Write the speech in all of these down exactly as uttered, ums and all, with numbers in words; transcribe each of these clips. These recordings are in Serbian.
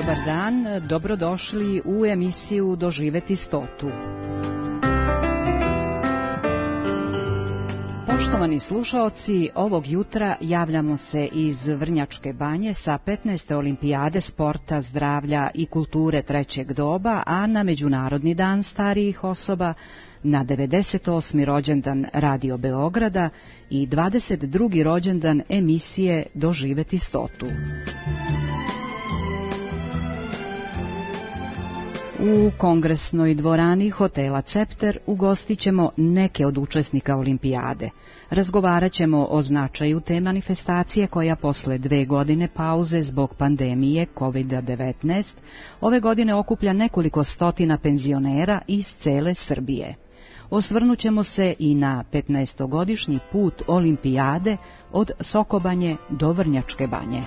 Dobar dan, dobrodošli u emisiju Doživeti stotu. Poštovani slušaoci, ovog jutra javljamo se iz Vrnjačke Banje sa petnaeste olimpijade sporta, zdravlja i kulture trećeg doba, a na Međunarodni dan starijih osoba, na devedeset osmi rođendan Radio Beograda i dvadeset drugi rođendan emisije Doživeti stotu. U kongresnoj dvorani hotela Cepter ugostit ćemo neke od učesnika olimpijade. Razgovarat ćemo o značaju te manifestacije koja posle dve godine pauze zbog pandemije kovid devetnaest ove godine okuplja nekoliko stotina penzionera iz cele Srbije. Osvrnut ćemo se i na petnaestogodišnji put olimpijade od Sokobanje do Vrnjačke Banje.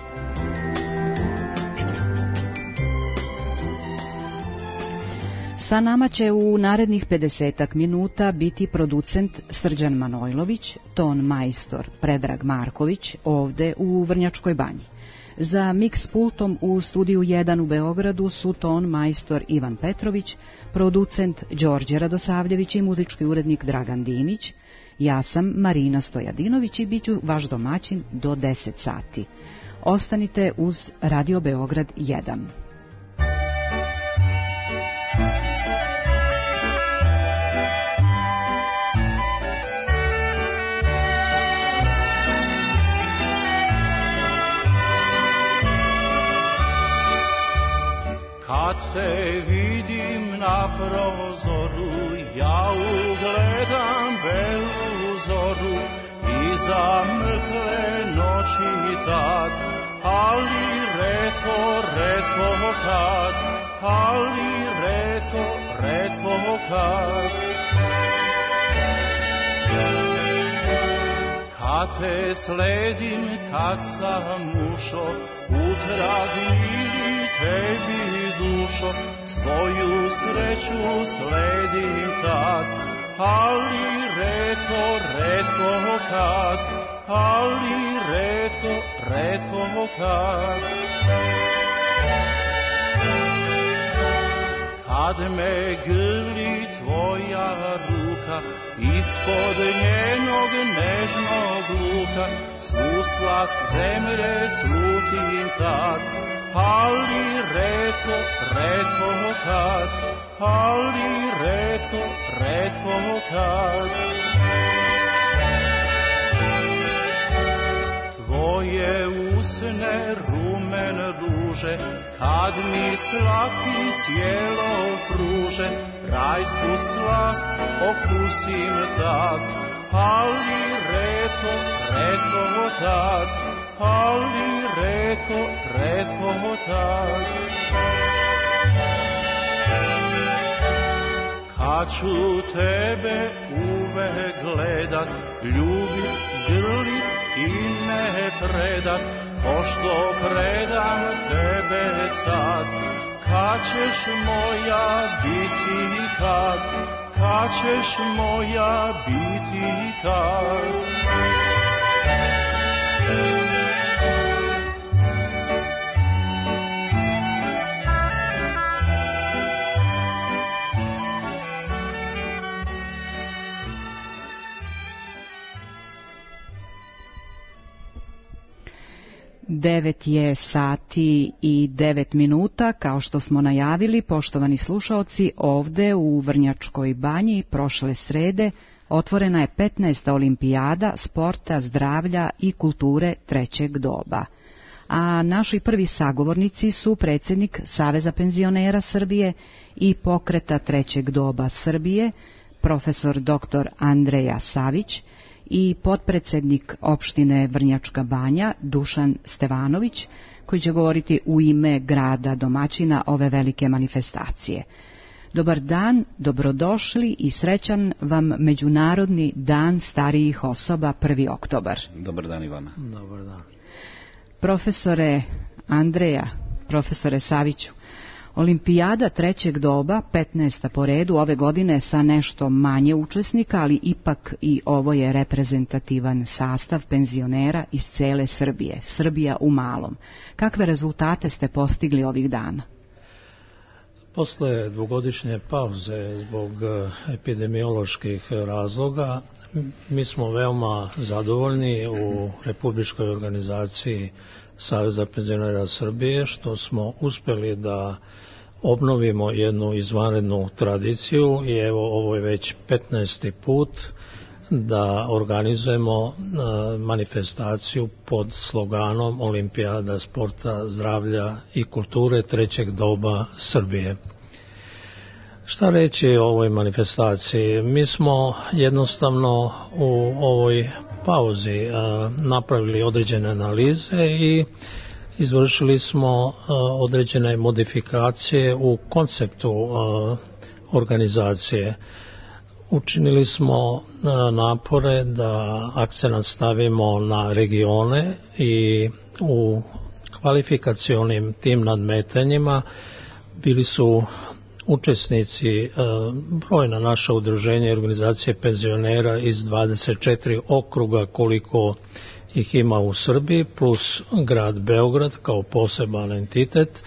Sa nama će u narednih pedesetak minuta biti producent Srđan Manojlović, ton majstor Predrag Marković ovde u Vrnjačkoj Banji. Za miks pultom u studiju jedan u Beogradu su ton majstor Ivan Petrović, producent Đorđe Radosavljević i muzički urednik Dragan Dimić. Ja sam Marina Stojadinović i bit ću vaš domaćin do deset sati. Ostanite uz Radio Beograd jedan. Kad te vidim na prozoru, ja ugledam belu zoru, iza mrkle noći tad, ali retko, retko kad, ali retko, retko kad. Kad te sledim, kad sam ušo, utrag mili tebi dušo, svoju sreću sledim tad, ali retko, retko kad, ali retko, retko kad. Kad me grli tvoja ruka, ispod njenog nežnog luka, svu slast zemlje slutim tad, ali retko, retko kad, ali retko, retko kad. Tvoje usne rumen ruže, kad mi slatki cijelo pruže, rajsku slast okusim tad, ali retko, retko tad, ali retko, retko tad. Kad ću tebe uvek gledat, ljubit, grlit i ne predat, pošto predam tebe sad, kad ćeš moja biti kad, kad ćeš moja biti kad. Devet je sati i devet minuta, kao što smo najavili, poštovani slušaoci, ovde u Vrnjačkoj Banji prošle srede otvorena je petnaesta olimpijada sporta, zdravlja i kulture trećeg doba. A naši prvi sagovornici su predsjednik Saveza penzionera Srbije i pokreta trećeg doba Srbije, profesor doktor Andreja Savić, i potpredsjednik opštine Vrnjačka Banja Dušan Stevanović, koji će govoriti u ime grada domaćina ove velike manifestacije. Dobar dan, dobrodošli i srećan vam Međunarodni dan starijih osoba prvi oktobar. Dobar dan, Ivana. Dobar dan. Profesore Andreja, profesore Saviću, Olimpijada trećeg doba, petnaesta po redu, ove godine sa nešto manje učesnika, ali ipak i ovo je reprezentativan sastav penzionera iz cele Srbije, Srbija u malom. Kakve rezultate ste postigli ovih dana? Posle dvogodišnje pauze zbog epidemioloških razloga, mi smo veoma zadovoljni u Republičkoj organizaciji Saveza penzionera Srbije što smo uspeli da obnovimo jednu izvanrednu tradiciju i evo ovo je već petnaesti put da organizujemo manifestaciju pod sloganom Olimpijada sporta, zdravlja i kulture trećeg doba Srbije. Šta reći o ovoj manifestaciji? Mi smo jednostavno u ovoj pauzi napravili određene analize i izvršili smo određene modifikacije u konceptu organizacije. Učinili smo napore da akcenat stavimo na regione i u kvalifikacionim tim nadmetanjima bili su učesnici brojna naša udruženja i organizacije penzionera iz dvadeset četiri okruga koliko ih ima u Srbiji, plus grad Beograd kao poseban entitet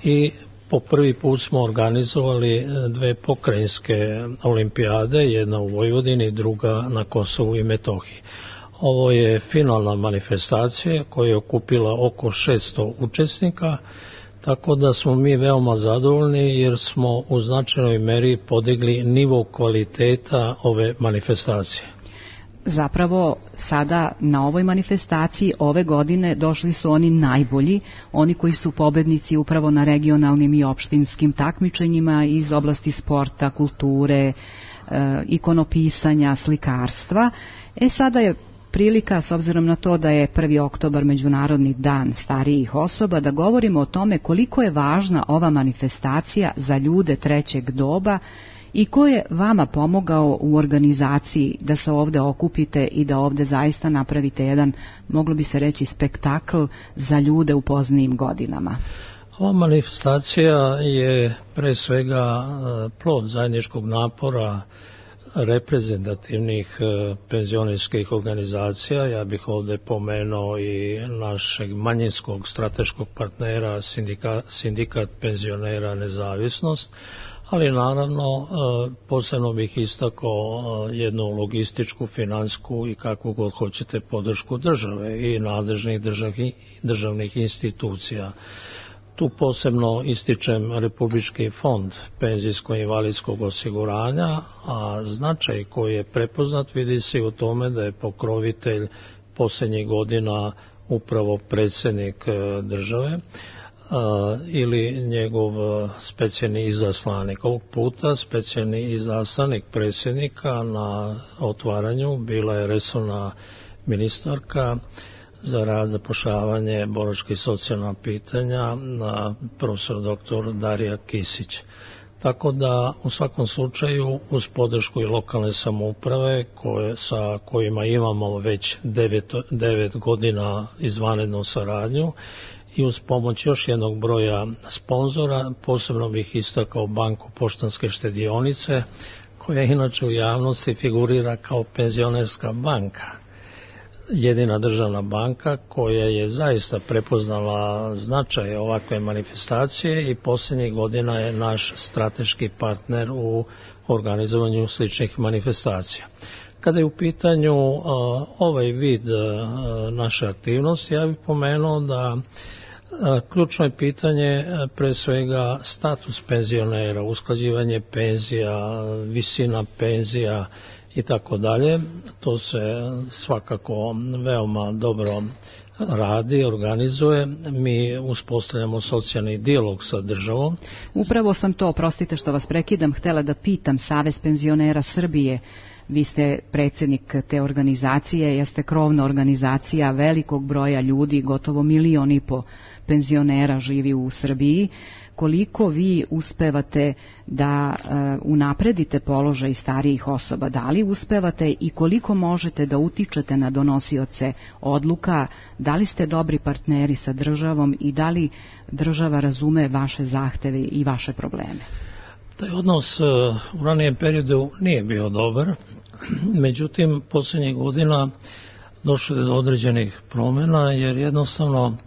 i po prvi put smo organizovali dve pokrajinske olimpijade, jedna u Vojvodini, druga na Kosovu i Metohiji. Ovo je finalna manifestacija koja je okupila oko šesto učesnika, tako da smo mi veoma zadovoljni jer smo u značajnoj meri podigli nivo kvaliteta ove manifestacije. Zapravo sada na ovoj manifestaciji ove godine došli su oni najbolji, oni koji su pobednici upravo na regionalnim i opštinskim takmičenjima iz oblasti sporta, kulture, ikonopisanja, slikarstva. E sada je prilika, s obzirom na to da je prvi oktobar Međunarodni dan starijih osoba, da govorimo o tome koliko je važna ova manifestacija za ljude trećeg doba i ko je vama pomogao u organizaciji da se ovde okupite i da ovde zaista napravite jedan, moglo bi se reći, spektakl za ljude u poznijim godinama. Ova manifestacija je pre svega plod zajedničkog napora reprezentativnih penzionerskih organizacija. Ja bih ovde pomenuo i našeg manjinskog strateškog partnera Sindikat, Sindikat penzionera Nezavisnost, ali naravno posebno bih istakao jednu logističku, finansku i kakvu god hoćete podršku države i nadležnih državnih, državnih institucija. Tu posebno ističem Republički fond penzijsko-invalidskog osiguranja, a značaj koji je prepoznat vidi se u tome da je pokrovitelj posljednjih godina upravo predsjednik države ili njegov specijalni izaslanik. Ovog puta specijalni izaslanik predsjednika na otvaranju bila je resorna ministarka za rad, zapošljavanje, boračka i socijalna pitanja, profesor doktor Darija Kisić. Tako da u svakom slučaju uz podršku i lokalne samouprave koje, sa kojima imamo već devet, devet godina izvanrednu saradnju i uz pomoć još jednog broja sponzora, posebno bih istakao Banku Poštanske štedionice koja inače u javnosti figurira kao penzionerska banka. Jedina državna banka koja je zaista prepoznala značaj ovakve manifestacije i posljednjih godina je naš strateški partner u organizovanju sličnih manifestacija. Kada je u pitanju uh, ovaj vid uh, naše aktivnosti, ja bih pomenuo da uh, ključno je pitanje uh, pre svega status penzionera, usklađivanje penzija, visina penzija i tako dalje. To se svakako veoma dobro radi, organizuje. Mi uspostavljamo socijalni dijalog sa državom. Upravo sam to, oprostite što vas prekidam, htjela da pitam Savez penzionera Srbije. Vi ste predsjednik te organizacije, jeste krovna organizacija velikog broja ljudi, gotovo milion i po penzionera živi u Srbiji. koliko vi uspevate da uh, unapredite položaj starijih osoba, da li uspevate i koliko možete da utičete na donosioce odluka, da li ste dobri partneri sa državom i da li država razume vaše zahteve i vaše probleme? Taj odnos u ranijem periodu nije bio dobar, međutim posljednjih godina došlo je do određenih promjena jer jednostavno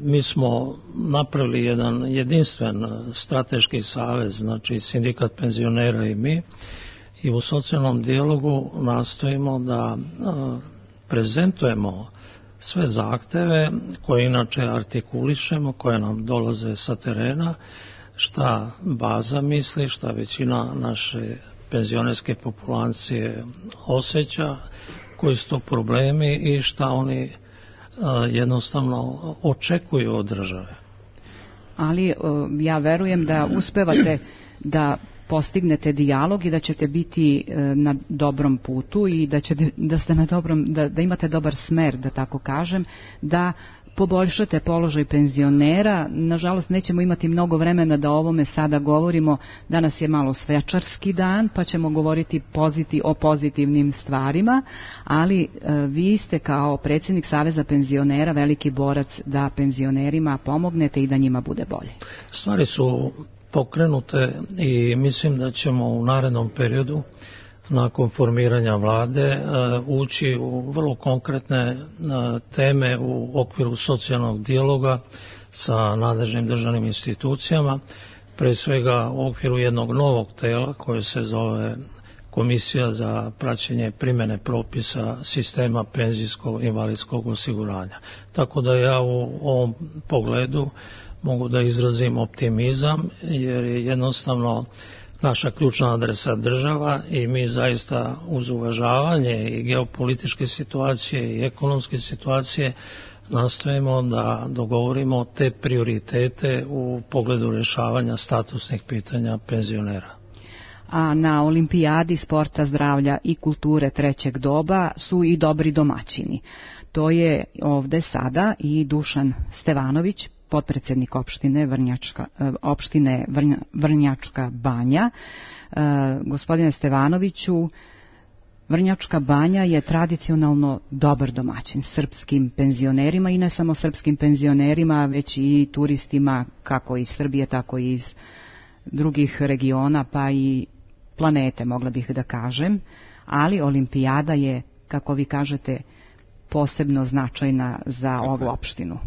mi smo napravili jedan jedinstven strateški savez, znači sindikat penzionera i mi, i u socijalnom dijalogu nastojimo da prezentujemo sve zahteve koje inače artikulišemo, koje nam dolaze sa terena, šta baza misli, šta većina naše penzionerske populacije osjeća, koji su to problemi i šta oni jednostavno očekuju od države. Ali ja verujem da uspevate da postignete dijalog i da ćete biti na dobrom putu i da ćete da ste na dobrom da, da imate dobar smer, da tako kažem, da poboljšate položaj penzionera. Nažalost, nećemo imati mnogo vremena da o ovome sada govorimo. Danas je malo svečarski dan, pa ćemo govoriti poziti, o pozitivnim stvarima, ali e, vi ste kao predsjednik Saveza penzionera veliki borac da penzionerima pomognete i da njima bude bolje. Stvari su pokrenute i mislim da ćemo u narednom periodu nakon formiranja vlade ući u vrlo konkretne teme u okviru socijalnog dijaloga sa nadležnim državnim institucijama, pre svega u okviru jednog novog tela koje se zove Komisija za praćenje primjene propisa sistema penzijskog invalidskog osiguranja. Tako da ja u ovom pogledu mogu da izrazim optimizam jer je jednostavno naša ključna adresa država i mi zaista uz uvažavanje i geopolitičke situacije i ekonomske situacije nastojimo da dogovorimo te prioritete u pogledu rješavanja statusnih pitanja penzionera. A na Olimpijadi sporta, zdravlja i kulture trećeg doba su i dobri domaćini. To je ovde sada i Dušan Stevanović, potpredsjednik opštine Vrnjačka, opštine Vrnja, Vrnjačka Banja. E, gospodine Stevanoviću, Vrnjačka Banja je tradicionalno dobar domaćin srpskim penzionerima i ne samo srpskim penzionerima, već i turistima kako iz Srbije, tako i iz drugih regiona, pa i planete, mogla bih da kažem. Ali Olimpijada je, kako vi kažete, posebno značajna za ovu opštinu.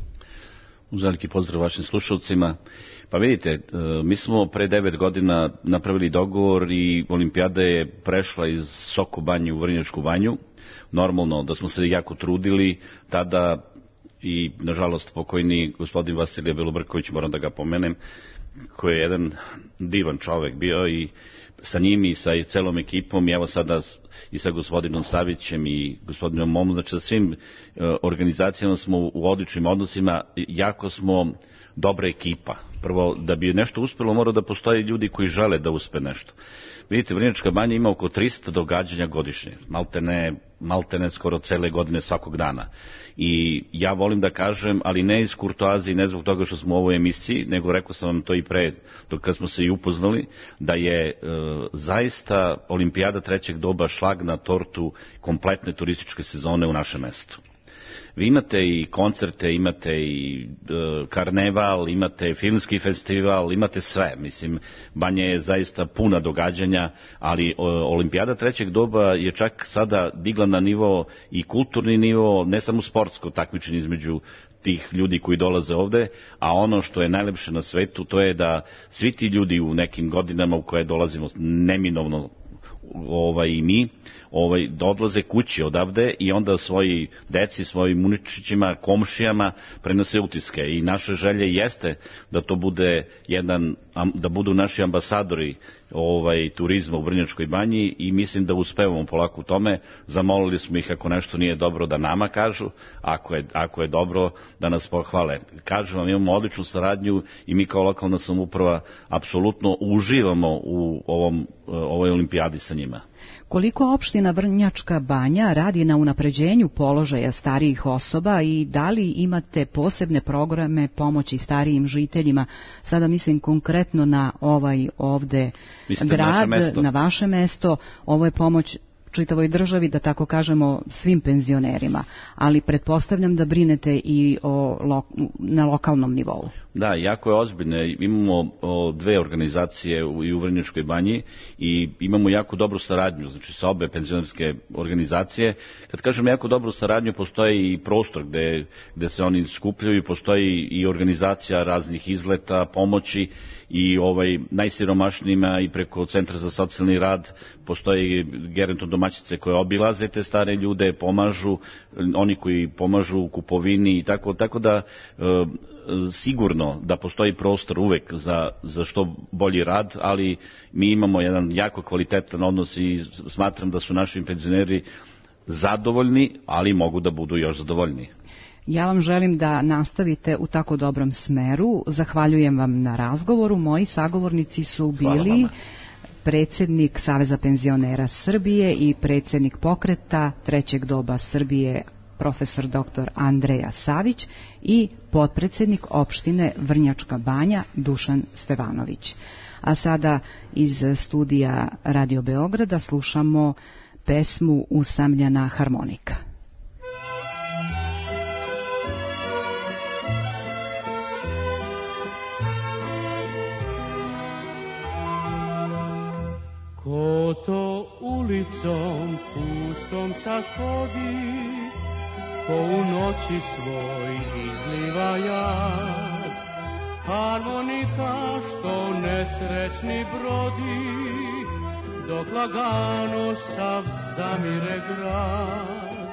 Uz veliki pozdrav vašim slušalcima. Pa vidite, mi smo pre devet godina napravili dogovor i Olimpijada je prešla iz Soko Banje u Vrnjačku Banju. Normalno da smo se jako trudili tada i nažalost pokojni gospodin Vasilije Belobrković, moram da ga pomenem, koji je jedan divan čovek bio i sa njim i sa celom ekipom i evo sada i sa gospodinom Savićem i gospodinom Momom, znači sa svim e, organizacijama smo u odličnim odnosima, jako smo dobra ekipa. Prvo, da bi nešto uspelo mora da postoje ljudi koji žele da uspe nešto. Vidite, Vrnjačka Banja ima oko trista događanja godišnje, maltene, maltene skoro cele godine svakog dana. I ja volim da kažem, ali ne iz kurtoazije, ne zbog toga što smo u ovoj emisiji, nego rekao sam vam to i pre, dok kad smo se i upoznali, da je e, zaista Olimpijada trećeg doba šlag na tortu kompletne turističke sezone u našem mestu. Vi imate i koncerte, imate i e, karneval, imate filmski festival, imate sve. Mislim, Banja je zaista puna događanja, ali o, Olimpijada trećeg doba je čak sada digla na nivo i kulturni nivo, ne samo sportsko takmičenje između tih ljudi koji dolaze ovde, a ono što je najlepše na svetu, to je da svi ti ljudi u nekim godinama u koje dolazimo neminovno ovaj, i mi, ovaj, da odlaze kući odavde i onda svoji deci, svojim uničićima, komšijama prenose utiske. I naša želja jeste da to bude jedan, da budu naši ambasadori ovaj, turizma u Vrnjačkoj Banji i mislim da uspevamo polako u tome. Zamolili smo ih ako nešto nije dobro da nama kažu, ako je, ako je dobro da nas pohvale. Kažu vam, imamo odličnu saradnju i mi kao lokalna samouprava apsolutno uživamo u ovom, ovoj olimpijadi sa njima. Koliko opština Vrnjačka Banja radi na unapređenju položaja starijih osoba i da li imate posebne programe pomoći starijim žiteljima? Sada mislim konkretno na ovaj ovde Mislite grad, na, na vaše mesto. Ovo je pomoć čitavoj državi, da tako kažemo, svim penzionerima, ali pretpostavljam da brinete i o lo, na lokalnom nivou. Da, jako je ozbiljno. Imamo o, dve organizacije u, i u Vrnjačkoj Banji i imamo jako dobru saradnju, znači sa obe penzionerske organizacije. Kad kažem jako dobru saradnju, postoji i prostor gde, gde se oni skupljaju, postoji i organizacija raznih izleta, pomoći i ovaj najsiromašnijima i preko Centra za socijalni rad postoji geronto domaćice koje obilaze te stare ljude, pomažu, oni koji pomažu u kupovini i tako, tako da e, sigurno da postoji prostor uvek za, za što bolji rad, ali mi imamo jedan jako kvalitetan odnos i smatram da su naši penzioneri zadovoljni, ali mogu da budu još zadovoljniji. Ja vam želim da nastavite u tako dobrom smeru. Zahvaljujem vam na razgovoru. Moji sagovornici su bili predsjednik Saveza penzionera Srbije i predsjednik pokreta Trećeg doba Srbije, profesor doktor Andreja Savić, i potpredsjednik opštine Vrnjačka Banja Dušan Stevanović. A sada iz studija Radio Beograda slušamo pesmu Usamljena harmonika. Ko to ulicom pustom sad hodi, ko u noći svoj izliva jad, harmonika što nesrećni brodi, dok lagano sav zamire grad.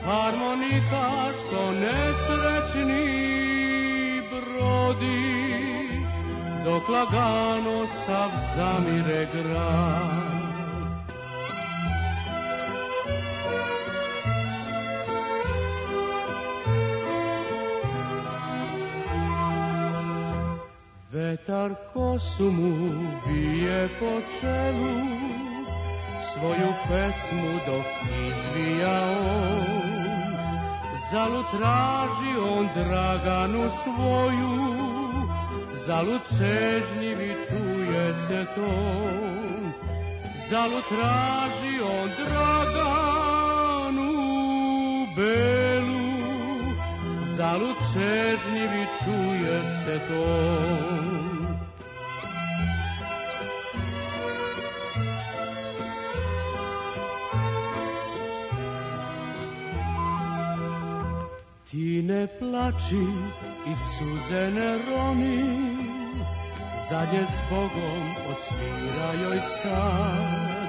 Harmonika što nesrećni brodi, dok lagano sav zamire grad. Vetar kosu mu bije po čelu, svoju pesmu dok izvija on. Zalud traži on Draganu svoju, zalud čežnjivi čuje se ton. Zalud traži on Draganu belu, zalud čežnjivi čuje se ton. Ti ne plači i suze ne roni, zadnje s Bogom odsvira joj sad.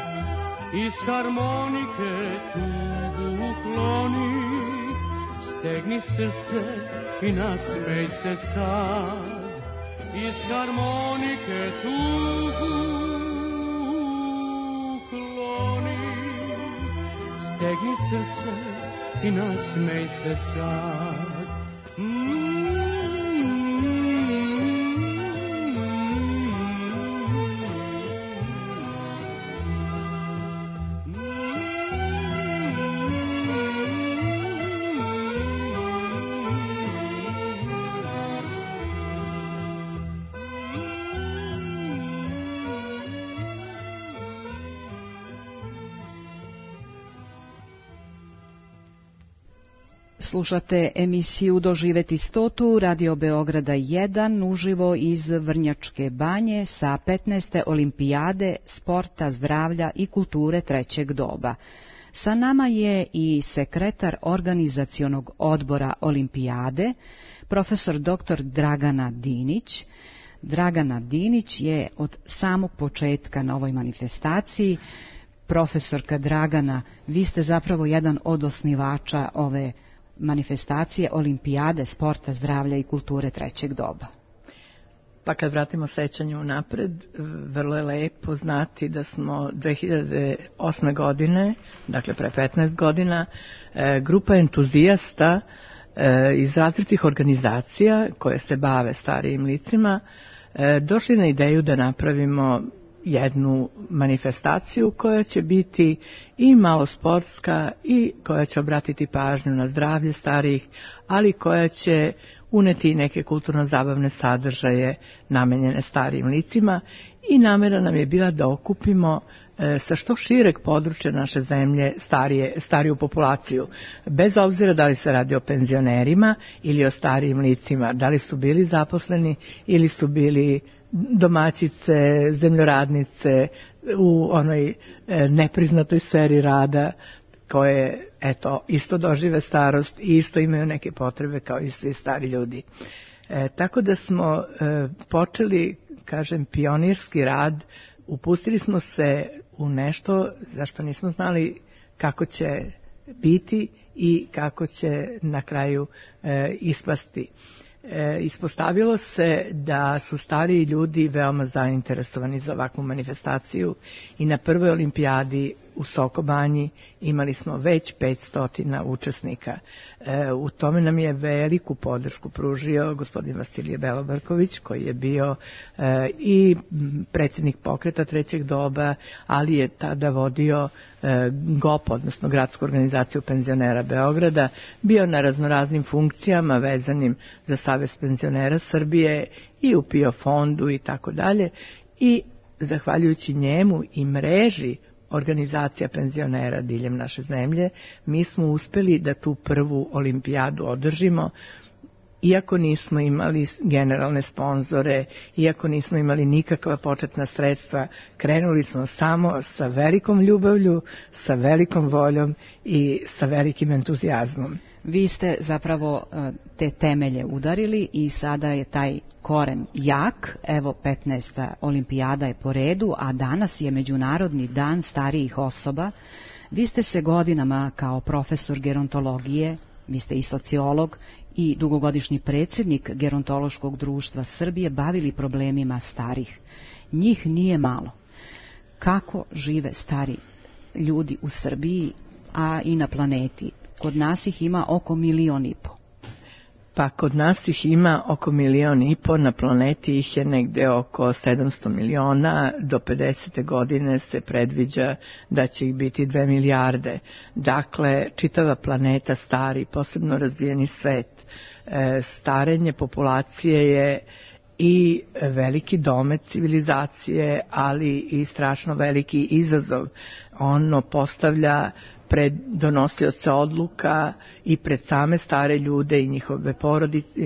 Iz harmonike tugu ukloni, stegni srce i nasmej se sad. Iz harmonike tugu ukloni, stegni srce i nasmej se sad. Slušate emisiju Doživeti stotu Radio Beograda jedan uživo iz Vrnjačke Banje sa petnaeste olimpijade sporta, zdravlja i kulture trećeg doba. Sa nama je i sekretar organizacionog odbora olimpijade, profesor doktor Dragana Dinić. Dragana Dinić je od samog početka na ovoj manifestaciji. Profesorka Dragana, vi ste zapravo jedan od osnivača ove manifestacije olimpijade sporta, zdravlja i kulture trećeg doba. Pa kad vratimo sećanju napred, vrlo je lepo znati da smo dve hiljade osme. godine, dakle pre petnaest godina, grupa entuzijasta iz različitih organizacija koje se bave starijim licima došli na ideju da napravimo jednu manifestaciju koja će biti i malo sportska i koja će obratiti pažnju na zdravlje starijih, ali koja će uneti neke kulturno-zabavne sadržaje namenjene starijim licima i namera nam je bila da okupimo e, sa što šireg područja naše zemlje starije, stariju populaciju, bez obzira da li se radi o penzionerima ili o starijim licima, da li su bili zaposleni ili su bili domaćice, zemljoradnice u onoj e, nepriznatoj sferi rada koje, eto, isto dožive starost i isto imaju neke potrebe kao i svi stari ljudi. E, tako da smo e, počeli, kažem, pionirski rad, upustili smo se u nešto za što nismo znali kako će biti i kako će na kraju e, ispasti. E, ispostavilo se da su stariji ljudi veoma zainteresovani za ovakvu manifestaciju i na prvoj olimpijadi u Sokobanji imali smo već petsto učesnika. E, u tome nam je veliku podršku pružio gospodin Vasilije Belobrković, koji je bio e, i predsjednik pokreta trećeg doba, ali je tada vodio e, G O P, odnosno Gradsku organizaciju penzionera Beograda, bio na raznoraznim funkcijama vezanim za Savez penzionera Srbije i u P I O fondu i tako dalje. I zahvaljujući njemu i mreži organizacija penzionera diljem naše zemlje, mi smo uspeli da tu prvu olimpijadu održimo, iako nismo imali generalne sponzore, iako nismo imali nikakva početna sredstva, krenuli smo samo sa velikom ljubavlju, sa velikom voljom i sa velikim entuzijazmom. Vi ste zapravo te temelje udarili i sada je taj koren jak. Evo, petnaesta olimpijada je po redu, a danas je Međunarodni dan starijih osoba. Vi ste se godinama kao profesor gerontologije, vi ste i sociolog i dugogodišnji predsjednik Gerontološkog društva Srbije bavili problemima starih. Njih nije malo. Kako žive stari ljudi u Srbiji, a i na planeti? Kod nas ih ima oko milion i po. Pa kod nas ih ima oko milion i po, na planeti ih je negde oko sedamsto miliona, do pedesete godine se predviđa da će ih biti dve milijarde. Dakle, čitava planeta stari, posebno razvijeni svet. E, starenje populacije je i veliki domet civilizacije, ali i strašno veliki izazov. Ono postavlja pred donosioce odluka i pred same stare ljude i njihove porodice,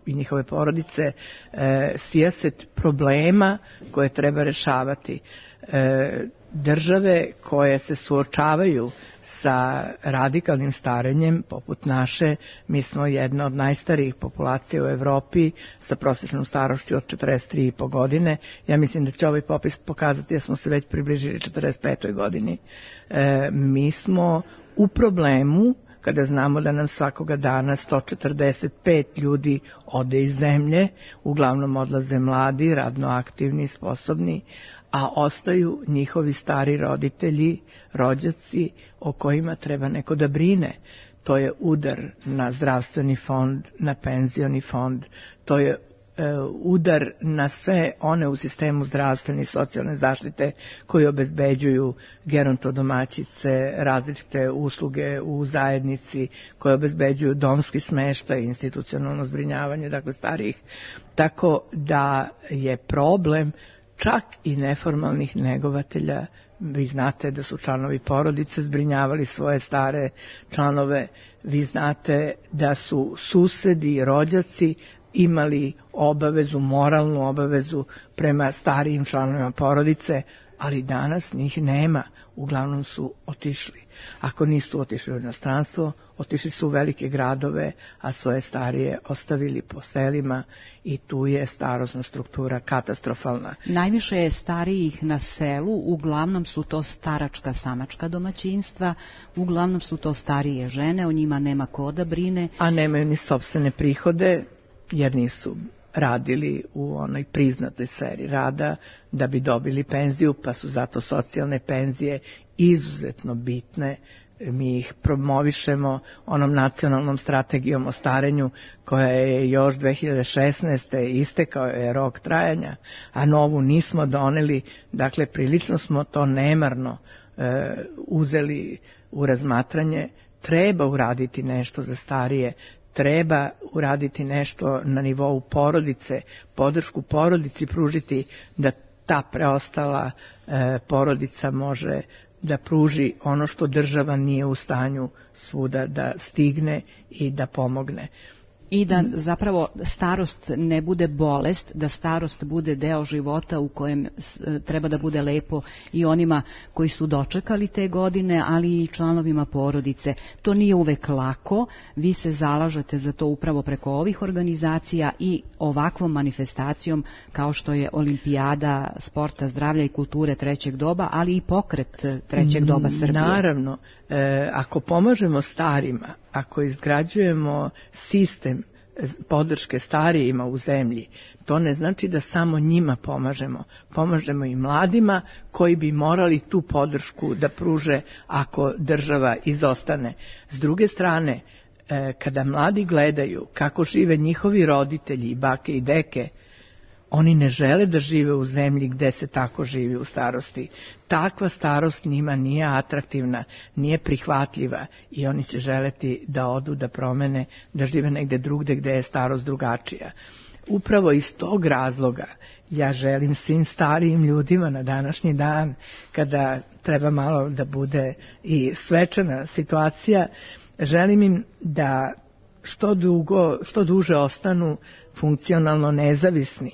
i njihove porodice e, sijaset problema koje treba rešavati. E, države koje se suočavaju sa radikalnim starenjem, poput naše, mi smo jedna od najstarijih populacija u Evropi sa prosječnom starošću od četrdeset tri i po godine. Ja mislim da će ovaj popis pokazati da smo se već približili četrdeset petoj godini. E, mi smo u problemu kada znamo da nam svakoga dana sto četrdeset pet ljudi ode iz zemlje, uglavnom odlaze mladi, radno aktivni, sposobni, a ostaju njihovi stari roditelji, rođaci o kojima treba neko da brine. To je udar na zdravstveni fond, na penzioni fond, to je e, udar na sve one u sistemu zdravstvene i socijalne zaštite koji obezbeđuju gerontodomaćice, različite usluge u zajednici, koje obezbeđuju domski smeštaj, institucionalno zbrinjavanje, dakle starijih. Tako da je problem čak i neformalnih negovatelja. Vi znate da su članovi porodice zbrinjavali svoje stare članove, vi znate da su susedi i rođaci imali obavezu, moralnu obavezu prema starijim članovima porodice, ali danas njih nema, uglavnom su otišli. Ako nisu otišli u inostranstvo, otišli su u velike gradove, a svoje starije ostavili po selima i tu je starosna struktura katastrofalna. Najviše je starijih na selu, uglavnom su to staračka samačka domaćinstva, uglavnom su to starije žene, o njima nema ko da brine. A nemaju ni sopstvene prihode, jer nisu radili u onoj priznatoj sferi rada da bi dobili penziju, pa su zato socijalne penzije izuzetno bitne mi ih promovišemo onom nacionalnom strategijom o starenju koja je još dve hiljade šesnaeste. istekao je rok trajanja, a novu nismo doneli, dakle prilično smo to nemarno e, uzeli u razmatranje. Treba uraditi nešto za starije, treba uraditi nešto na nivou porodice, podršku porodici pružiti da ta preostala e, porodica može da pruži ono što država nije u stanju svuda da stigne i da pomogne. I da zapravo starost ne bude bolest, da starost bude deo života u kojem treba da bude lepo i onima koji su dočekali te godine, ali i članovima porodice. To nije uvek lako, vi se zalažete za to upravo preko ovih organizacija i ovakvom manifestacijom kao što je Olimpijada sporta, zdravlja i kulture trećeg doba, ali i pokret trećeg doba Srbije. Naravno, e, ako pomažemo starima, ako izgrađujemo sistem podrške starijima u zemlji, to ne znači da samo njima pomažemo. Pomažemo i mladima koji bi morali tu podršku da pruže ako država izostane. S druge strane, kada mladi gledaju kako žive njihovi roditelji, bake i deke, oni ne žele da žive u zemlji gde se tako živi u starosti. Takva starost njima nije atraktivna, nije prihvatljiva i oni će želeti da odu, da promene, da žive negde drugde gde je starost drugačija. Upravo iz tog razloga ja želim svim starijim ljudima na današnji dan, kada treba malo da bude i svečana situacija, želim im da što dugo, što duže ostanu funkcionalno nezavisni,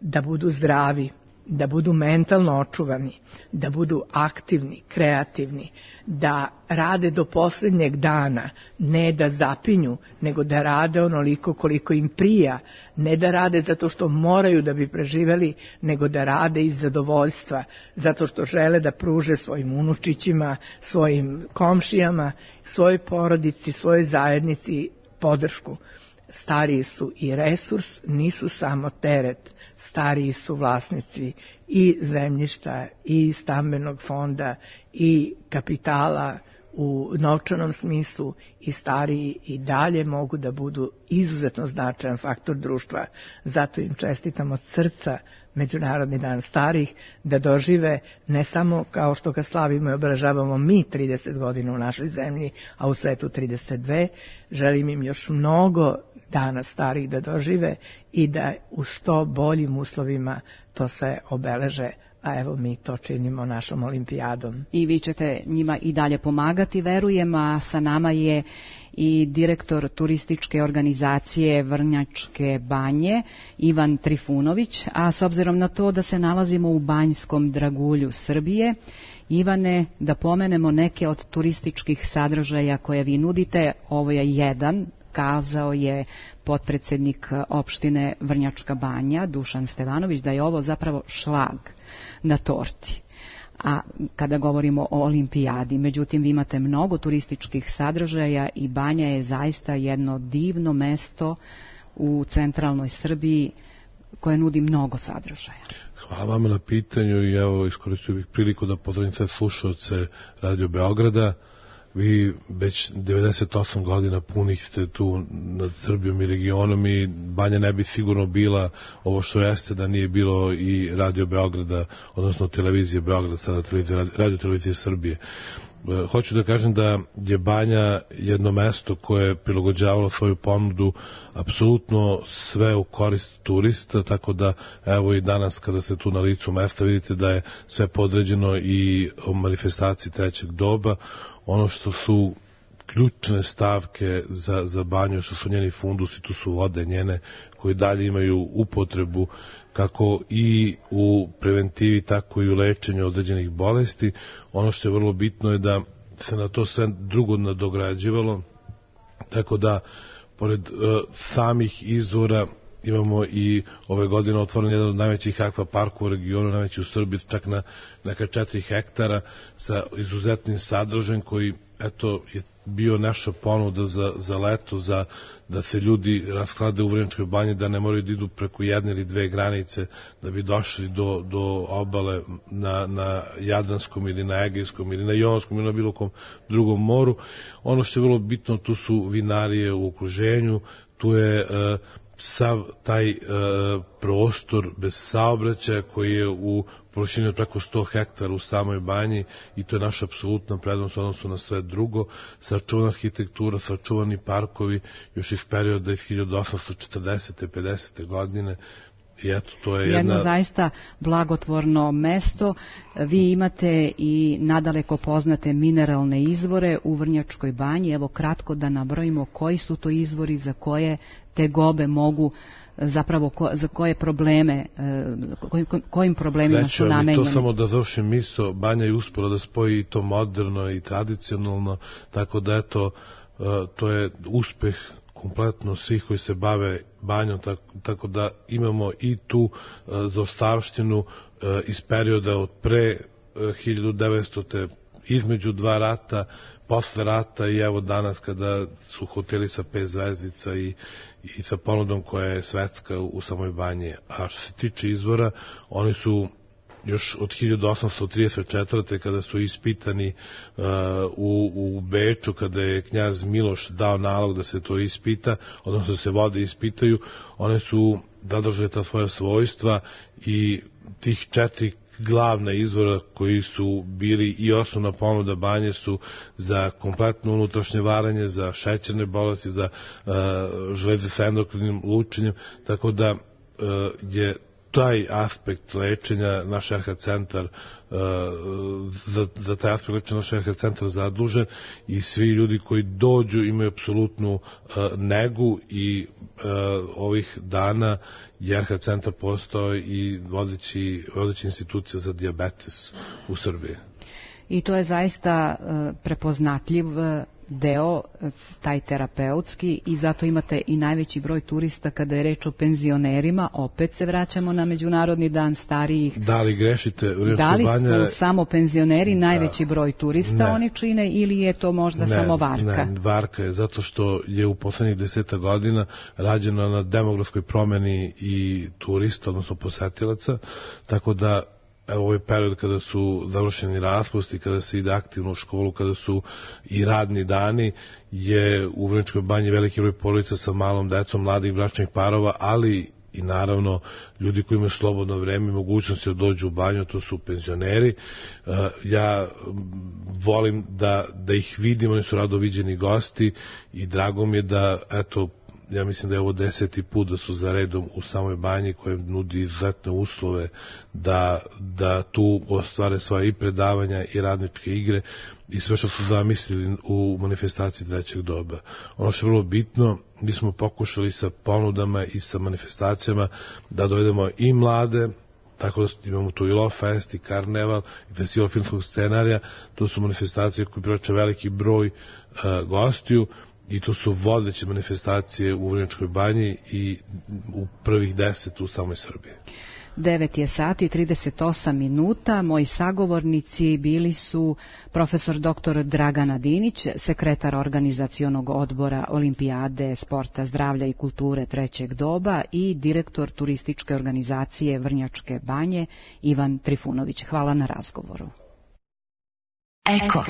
da budu zdravi, da budu mentalno očuvani, da budu aktivni, kreativni, da rade do posljednjeg dana, ne da zapinju, nego da rade onoliko koliko im prija, ne da rade zato što moraju da bi preživeli, nego da rade iz zadovoljstva, zato što žele da pruže svojim unučićima, svojim komšijama, svojoj porodici, svojoj zajednici podršku. Stariji su i resurs, nisu samo teret. Stariji su vlasnici i zemljišta, i stambenog fonda, i kapitala u novčanom smislu, i stariji i dalje mogu da budu izuzetno značajan faktor društva. Zato im čestitam od srca Međunarodni dan starih, da dožive ne samo kao što ga slavimo i obeležavamo mi trideset godina u našoj zemlji, a u svetu trideset dve, želim im još mnogo dana starih da dožive i da u sto boljim uslovima to sve obeleže, a evo mi to činimo našom olimpijadom. I vi ćete njima i dalje pomagati, verujem, a sa nama je i direktor turističke organizacije Vrnjačke banje, Ivan Trifunović, a s obzirom na to da se nalazimo u banjskom dragulju Srbije, Ivane, da pomenemo neke od turističkih sadržaja koje vi nudite. Ovo je jedan, kazao je potpredsednik opštine Vrnjačka banja, Dušan Stevanović, da je ovo zapravo šlag na torti. A kada govorimo o olimpijadi, međutim vi imate mnogo turističkih sadržaja i Banja je zaista jedno divno mesto u centralnoj Srbiji koje nudi mnogo sadržaja. Hvala vam na pitanju i evo iskoristio bih priliku da pozdravim sve slušaoce Radio Beograda. Vi već devedeset osam godina punih ste tu nad Srbijom i regionom i Banja ne bi sigurno bila ovo što jeste da nije bilo i Radio Beograda, odnosno televizije Beograd, sada Radio televizije Srbije. Hoću da kažem da je Banja jedno mesto koje je prilagođavalo svoju ponudu apsolutno sve u korist turista, tako da evo i danas kada ste tu na licu mesta vidite da je sve podređeno i o manifestaciji trećeg doba. Ono što su ključne stavke za, za Banju, što su njeni fundusi, tu su vode njene koje dalje imaju upotrebu kako i u preventivi, tako i u lečenju određenih bolesti. Ono što je vrlo bitno je da se na to sve drugo nadograđivalo, tako da pored uh, samih izvora imamo i ove godine otvoren jedan od najvećih akva parkova u regionu, najveći u Srbiji, čak na neka četiri hektara sa izuzetnim sadržajem koji, eto, je bio naša ponuda za, za leto, za da se ljudi rasklade u Vrnjačkoj banji, da ne moraju da idu preko jedne ili dve granice da bi došli do, do obale na, na Jadranskom ili na Egejskom ili na Jonskom ili na bilo kom drugom moru. Ono što je vrlo bitno, tu su vinarije u okruženju, tu je uh, sav taj uh, prostor bez saobraćaja koji je u površini od preko sto hektara u samoj banji i to je naša apsolutna prednost u odnosu na sve drugo. Sačuvana arhitektura, sačuvani parkovi još iz perioda iz hiljadu osamsto četrdesete. pedesete godine. I eto, to je jedna... Jedno zaista blagotvorno mesto. Vi imate i nadaleko poznate mineralne izvore u Vrnjačkoj banji. Evo kratko da nabrojimo koji su to izvori za koje te gobe mogu, zapravo ko, za koje probleme, koj, kojim problemima Reći, su namenjeni. To samo da završim misao, banja je uspela da spoji to moderno i tradicionalno, tako da eto, to je uspeh kompletno svih koji se bave banjom, tako, tako da imamo i tu uh, zaostavštinu uh, iz perioda od pre uh, hiljadu devetstote. između dva rata, posle rata i evo danas kada su hoteli sa pet zvezdica i, i sa ponudom koja je svetska u, u samoj banji. A što se tiče izvora, oni su još od hiljadu osamsto trideset četvrte. kada su ispitani uh, u, u Beču, kada je knjaz Miloš dao nalog da se to ispita, odnosno da se vode ispitaju, one su zadržale ta svoja svojstva i tih četiri glavna izvora koji su bili i osnovna ponuda banje su za kompletno unutrašnje varanje, za šećerne bolesti, za uh, žleze sa endokrinim lučenjem, tako da uh, je taj aspekt lečenja naš R H centar uh, za, za taj aspekt lečenja naš R H centar zadužen i svi ljudi koji dođu imaju apsolutnu uh, negu i uh, ovih dana je R H centar postao i vodeći, vodeći institucija za dijabetes u Srbiji. I to je zaista uh, prepoznatljiv uh, deo, taj terapeutski, i zato imate i najveći broj turista kada je reč o penzionerima. Opet se vraćamo na Međunarodni dan starijih. Da li grešite? Da li banja... su samo penzioneri da. najveći broj turista ne. oni čine ili je to možda ne, samo varka? Ne, varka je zato što je u poslednjih deseta godina rađeno na demografskoj promeni i turista, odnosno posetilaca, tako da evo ovaj period kada su završeni raspusti, kada se ide aktivno u školu, kada su i radni dani, je u Vrnjačkoj banji veliki broj porodica sa malom decom, mladih bračnih parova, ali i naravno ljudi koji imaju slobodno vreme i mogućnosti da dođu u banju, to su penzioneri. Ja volim da, da ih vidim, oni su rado viđeni gosti i drago mi je da, eto, ja mislim da je ovo deseti put da su za redom u samoj banji koja nudi izuzetne uslove da, da tu ostvare svoje i predavanja i radničke igre i sve što su zamislili u manifestaciji trećeg doba. Ono što je vrlo bitno, mi smo pokušali sa ponudama i sa manifestacijama da dovedemo i mlade, tako da imamo tu i Love Fest i Karneval i Festival filmskog scenarija. To su manifestacije koje privlače veliki broj uh, gostiju i to su vodeće manifestacije u Vrnjačkoj banji i u prvih deset u samoj Srbiji. devet je sati i trideset osam minuta. Moji sagovornici bili su profesor doktor Dragana Dinić, sekretar organizacionog odbora Olimpijade sporta, zdravlja i kulture trećeg doba i direktor turističke organizacije Vrnjačke banje Ivan Trifunović. Hvala na razgovoru. Eko.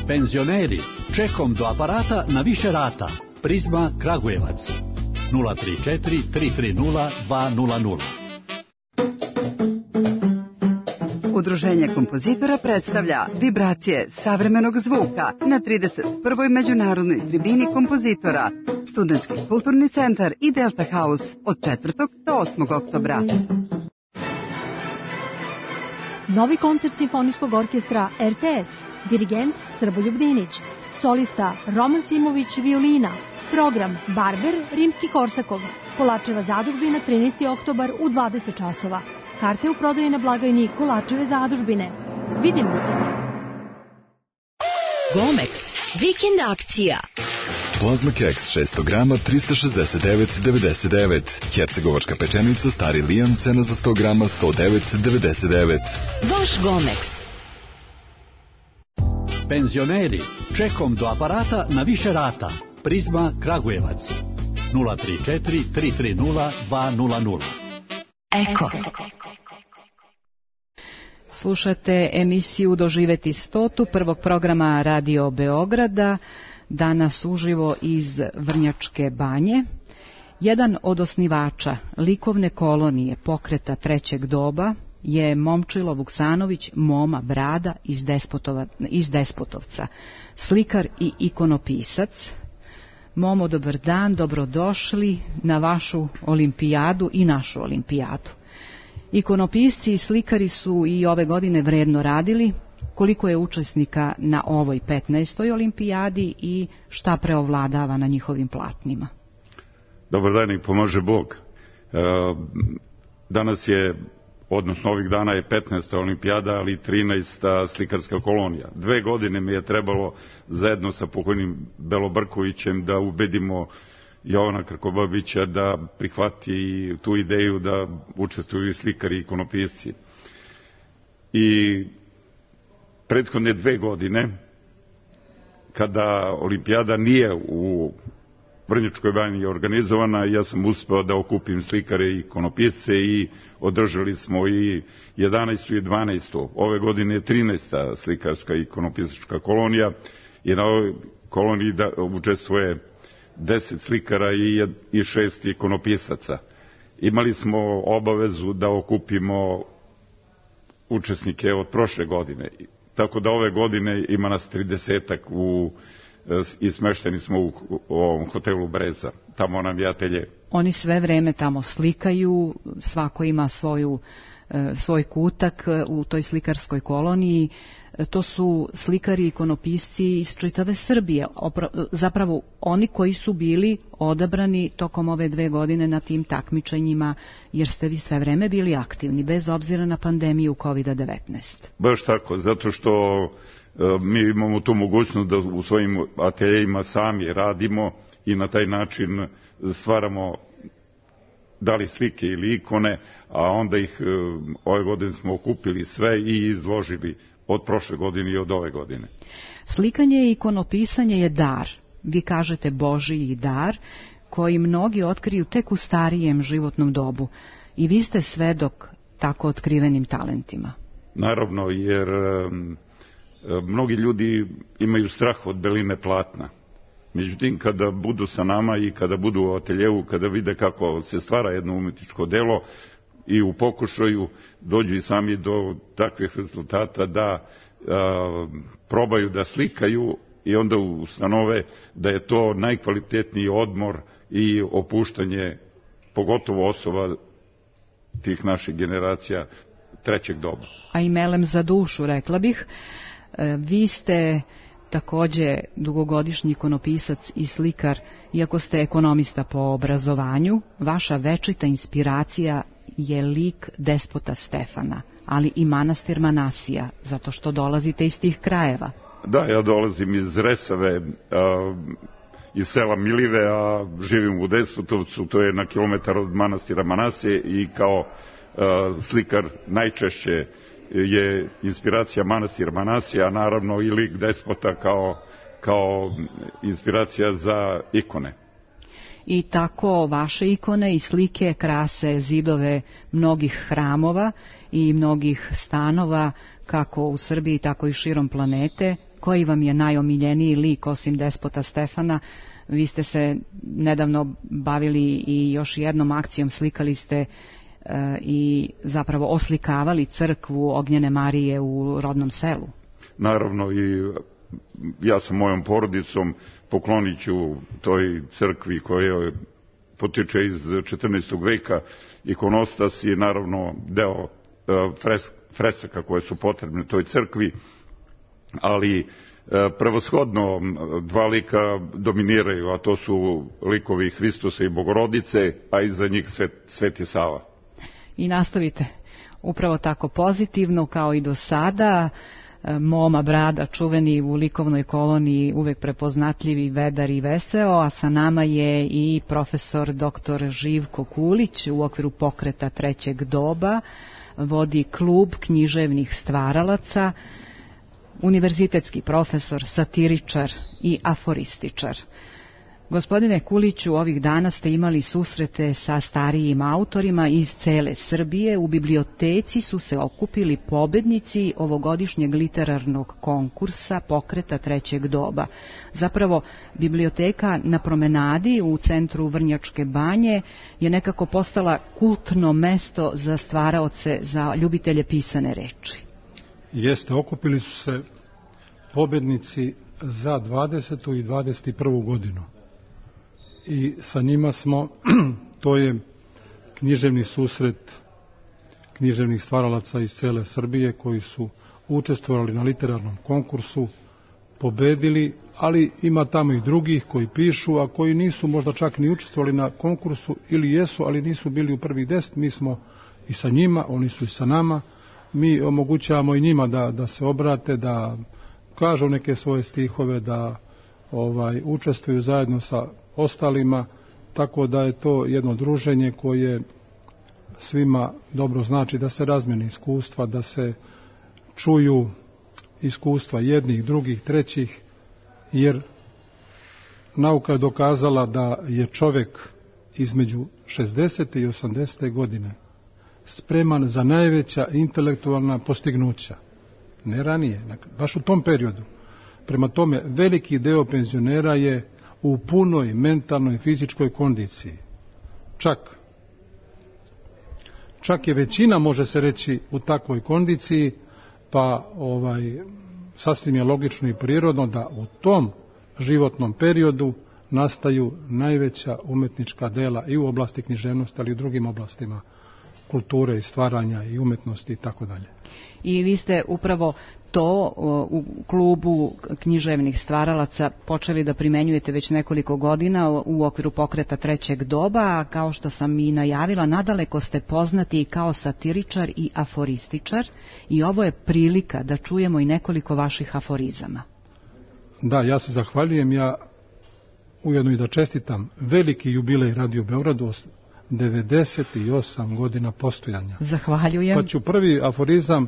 Penzioneri, čekom do aparata na više rata. Prizma Kragujevac. nula tri četiri tri tri nula dva nula nula. Udruženje kompozitora predstavlja vibracije savremenog zvuka na trideset prvoj međunarodnoj tribini kompozitora, Studentski kulturni centar i Delta House od četvrtog do osmog oktobra. Novi koncert Simfonijskog orkestra R T S, dirigent Srboljub Dinić, solista Roman Simović violina, program Barber Rimski-Korsakov, Kolačeva zadužbina trinaesti oktobar u dvadeset časova. Karte u prodaji na blagajni Kolačeve zadužbine. Vidimo se! Gomex, vikend akcija. Plazma keks šesto grama trista šezdeset devet devedeset devet. Hercegovačka pečenica Stari Lijan, cena za sto grama sto devet devedeset devet. Vaš Gomex. Penzioneri, čekom do aparata na više rata. Prizma Kragujevac. nula tri četiri tri tri nula dva nula nula. Eko. Slušate emisiju Doživeti stotu prvog programa Radio Beograda, danas uživo iz Vrnjačke banje. Jedan od osnivača likovne kolonije pokreta trećeg doba je Momčilo Vuksanović Moma Brada iz, Despotova, iz Despotovca, slikar i ikonopisac. Momo, dobar dan, dobrodošli na vašu olimpijadu i našu olimpijadu. Ikonopisci i slikari su i ove godine vredno radili. Koliko je učesnika na ovoj petnaestoj olimpijadi i šta preovladava na njihovim platnima? Dobar dan i pomože Bog. Danas je, odnosno ovih dana je petnaesta olimpijada, ali trinaesta slikarska kolonija. Dve godine mi je trebalo zajedno sa pokojnim Belobrkovićem da ubedimo Jovana Krkobabića da prihvati tu ideju da učestvuju i slikari i ikonopisci. I prethodne dve godine, kada olimpijada nije u Vrnjačkoj banji organizovana, ja sam uspeo da okupim slikare i ikonopisce i održali smo i jedanaestu i dvanaestu. Ove godine je trinaesta slikarska i ikonopisačka kolonija i na ovoj koloniji da učestvuje deset slikara i šest ikonopisaca. Imali smo obavezu da okupimo učesnike od prošle godine, tako da ove godine ima nas tridesetak u, i smešteni smo u, u ovom hotelu Breza, tamo nam je atelje. Oni sve vreme tamo slikaju, svako ima svoju, svoj kutak u toj slikarskoj koloniji. To su slikari i ikonopisci iz čitave Srbije, zapravo oni koji su bili odabrani tokom ove dve godine na tim takmičenjima, jer ste vi sve vreme bili aktivni, bez obzira na pandemiju kovid devetnaest. Baš tako, zato što mi imamo tu mogućnost da u svojim ateljejima sami radimo i na taj način stvaramo da li slike ili ikone, a onda ih ove godine smo okupili sve i izložili od prošle godine i od ove godine. Slikanje i ikonopisanje je dar, vi kažete Božiji dar, koji mnogi otkriju tek u starijem životnom dobu. I vi ste svedok tako otkrivenim talentima. Naravno, jer um, mnogi ljudi imaju strah od beline platna. Međutim, kada budu sa nama i kada budu u ateljevu, kada vide kako se stvara jedno umetničko delo, i u pokušaju dođu i sami do takvih rezultata da a, probaju da slikaju i onda ustanove da je to najkvalitetniji odmor i opuštanje, pogotovo osoba tih naših generacija trećeg doba. A i melem za dušu, rekla bih. E, vi ste takođe dugogodišnji ikonopisac i slikar, iako ste ekonomista po obrazovanju, vaša večita inspiracija je lik despota Stefana, ali i manastir Manasija, zato što dolazite iz tih krajeva. Da, ja dolazim iz Resave, a, iz sela Milive, a živim u Despotovcu, to je na kilometar od manastira Manasije i kao a, slikar najčešće je inspiracija manastir Manasija, a naravno i lik despota kao, kao inspiracija za ikone. I tako vaše ikone i slike krase zidove mnogih hramova i mnogih stanova, kako u Srbiji, tako i širom planete. Koji vam je najomiljeniji lik osim despota Stefana? Vi ste se nedavno bavili i još jednom akcijom, slikali ste e, i zapravo oslikavali crkvu Ognjene Marije u rodnom selu. Naravno, i ja sa mojom porodicom poklonit ću toj crkvi koja potiče iz četrnaestog veka, ikonostas i naravno deo fres, fresaka koje su potrebne toj crkvi, ali prevashodno dva lika dominiraju, a to su likovi Hristosa i Bogorodice, a iza njih Sveti Sava. I nastavite upravo tako pozitivno kao i do sada. Moma Brada, čuveni u likovnoj koloniji, uvek prepoznatljivi, vedar i veseo, a sa nama je i profesor doktor Živko Kulić u okviru pokreta Trećeg doba, vodi klub književnih stvaralaca, univerzitetski profesor, satiričar i aforističar. Gospodine Kuliću, ovih dana ste imali susrete sa starijim autorima iz cele Srbije. U biblioteci su se okupili pobednici ovogodišnjeg literarnog konkursa pokreta Trećeg doba. Zapravo, biblioteka na promenadi u centru Vrnjačke Banje je nekako postala kultno mesto za stvaraoce, za ljubitelje pisane reči. Jeste, okupili su se pobednici za dvadesetu i dvadeset prvu godinu. I sa njima smo, to je književni susret književnih stvaralaca iz cele Srbije koji su učestvovali na literarnom konkursu, pobedili, ali ima tamo i drugih koji pišu, a koji nisu možda čak ni učestvovali na konkursu ili jesu, ali nisu bili u prvih deset. Mi smo i sa njima, oni su i sa nama. Mi omogućavamo i njima da, da se obrate, da kažu neke svoje stihove, da ovaj, učestvuju zajedno sa ostalima, tako da je to jedno druženje koje svima dobro znači, da se razmjene iskustva, da se čuju iskustva jednih, drugih, trećih, jer nauka je dokazala da je čovjek između šezdeset i osamdeset godine spreman za najveća intelektualna postignuća. Ne ranije, baš u tom periodu. Prema tome, veliki deo penzionera je u punoj mentalnoj i fizičkoj kondiciji. Čak, čak je većina, može se reći, u takvoj kondiciji, pa ovaj, sasvim je logično i prirodno da u tom životnom periodu nastaju najveća umetnička dela i u oblasti književnosti, ali i u drugim oblastima kulture i stvaranja i umetnosti i tako dalje. I vi ste upravo to u klubu književnih stvaralaca počeli da primenjujete već nekoliko godina u okviru pokreta Trećeg doba, a kao što sam i najavila, nadaleko ste poznati i kao satiričar i aforističar i ovo je prilika da čujemo i nekoliko vaših aforizama. Da, ja se zahvaljujem, ja ujedno i da čestitam veliki jubilej Radio Beogradu, devedeset osam godina postojanja. Zahvaljujem. Pa ću prvi aforizam